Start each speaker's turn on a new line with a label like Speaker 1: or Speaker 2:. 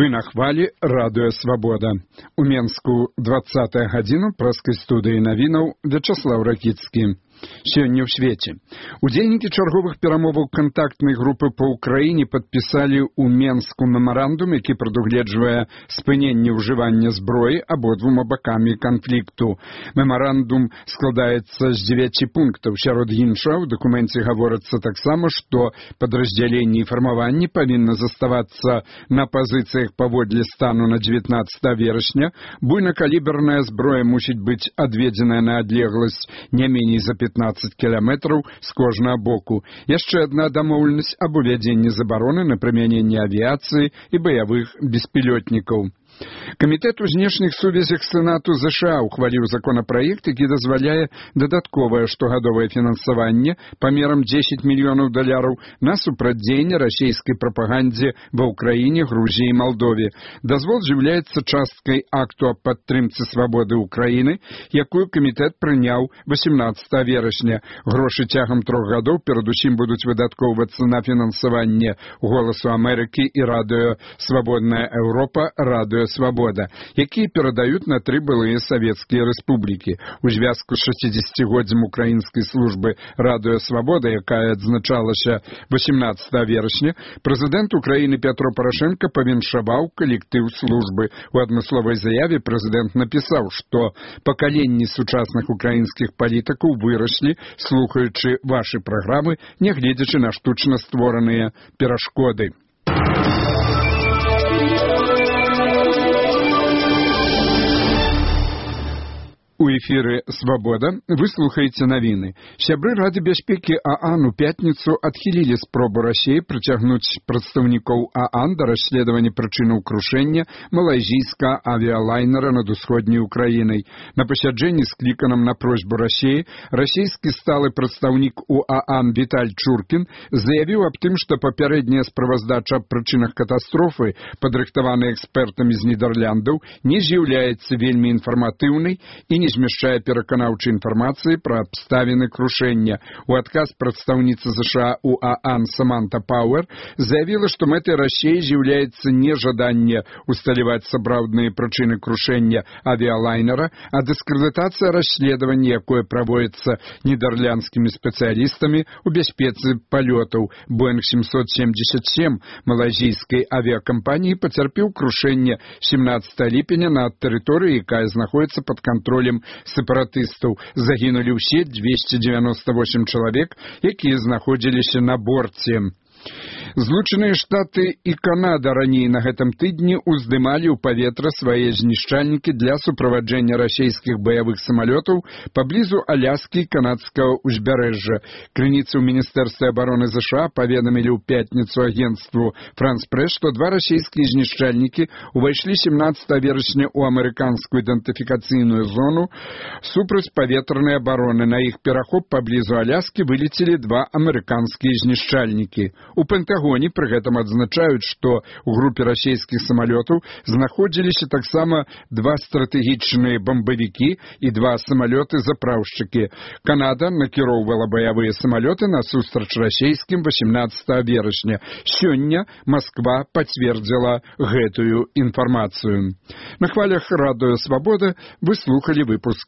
Speaker 1: Вы на хвалі радыё Свабода. У Менску 20-я гадзіна праскай студыі навінаў Вячаслаў Ракіцкі. Сёння ў свеце. Удзельнікі чарговых перамоваў кантактнай групы па ўкраіне падпісалі ў Менску мемарандум, які прадугледжвае спыненне ўжывання зброі абодвума бакамі канфлікту. Мемарандум складаецца з 9 пунктаў. Сярод іншага ў дакуменце гаворыцца таксама, што падраздзяленні і фармаванні павінны заставацца на пазіцыях паводле стану на 19 верасня. Буйнакаліберная зброя мусіць быць адведзеная на адлегласць не меней за 15 кіламетраў з кожнага боку. Яшчэ адна дамоўленасць аб увядзенні забароны на прымяненне авіяцыі і баявых беспілётнікаў. Камітэт у знешніх сувязях Сенату ЗША ухваліў законапраект, які дазваляе дадатковае штогадовае фінансаванне памерам $10 мільёнаў на супрацьдзеянне расійскай прапагандзе ва ўкраіне, Грузіі і Малдове. Дазвол з'яўляецца часткай акту аб падтрымцы свабоды ўкраіны, якую камітэт прыняў 18 верасня. Грошы цягам 3 гадоў перадусім будуць выдаткоўвацца на фінансаванне Голасу Амерыкі і радыё Свабодная Еўропа, радыё Свабода, якія перадаюць на 3 былыя савецкія рэспублікі. У звязку з 60-годдзям украінскай службы радыё Свабода, якая адзначалася 18 верасня, прэзідэнт Украіны Пятро Парашенко павіншаваў калектыў службы. У адмысловай заяве прэзідэнт напісаў, што пакаленні сучасных украінскіх палітыкаў выраслі, слухаючы вашы праграмы, нягледзячы на штучна створаныя перашкоды. У эфіры «Свабода» вы слухаеце навіны. Сябры Рады бяспекі ААН у пятніцу адхілілі спробу Расіі прыцягнуць прадстаўнікоў ААН да расследавання прычынаў крушэння малайзійскага авіялайнера над усходняй Украінай. На пасяджэнні, скліканым на просьбу Расіі, расійскі сталы прадстаўнік у ААН Віталь Чуркін заявіў аб тым, што папярэдняя справаздача аб прычынах катастрофы, падрыхтаваная экспертамі з Нідэрляндаў, не з'яўляецца вельмі інфарматыўнай і не змяшчае пераканаўчай інфармацыі пра абставіны крушэння. У адказ прадстаўніца ЗША у ААН Саманта Пауэр заявіла, што мэтай Расіі з'яўляецца не жаданне усталяваць сапраўдныя прычыны крушэння авіялайнера, а дыскрэдытацыя расследавання, якое праводзіцца нідерландскімі спецыялістамі ў бяспецы палётаў. Боинг 777 малайзійскай авіякампаніі пацярпеў крушэнне 17 ліпеня на тэрыторыі, якая знаходзіцца пад кантролем сепаратыстаў. Загінулі ўсе 298 чалавек, якія знаходзіліся на борце. Злучаныя Штаты і Канада раней на гэтым тыдні ўздымалі ў паветра свае знішчальнікі для суправаджэння расійскіх баявых самалётаў паблізу Аляскі і канадскага ўзбярэжжа. Крыніцы ў Міністэрстве абароны ЗША паведамілі ў пятніцу агенцтву France Press, што 2 расійскія знішчальнікі ўвайшлі 17 верасня ў амерыканскую ідэнтыфікацыйную зону супрацьпаветранай абароны. На іх перахоп паблізу Аляскі вылецелі 2 амерыканскія знішчальнікі. У Пентагоне пры гэтым адзначаюць, што ў групе расійскіх самалётаў знаходзіліся таксама 2 стратэгічныя бамбавікі і 2 самалёты-запраўшчыкі. Канада накіроўвала баявыя самалёты насустрач расійскім 18 верасня. Сёння Масква пацвердзіла гэтую інфармацыю. На хвалях радыё Свабода вы слухалі выпуск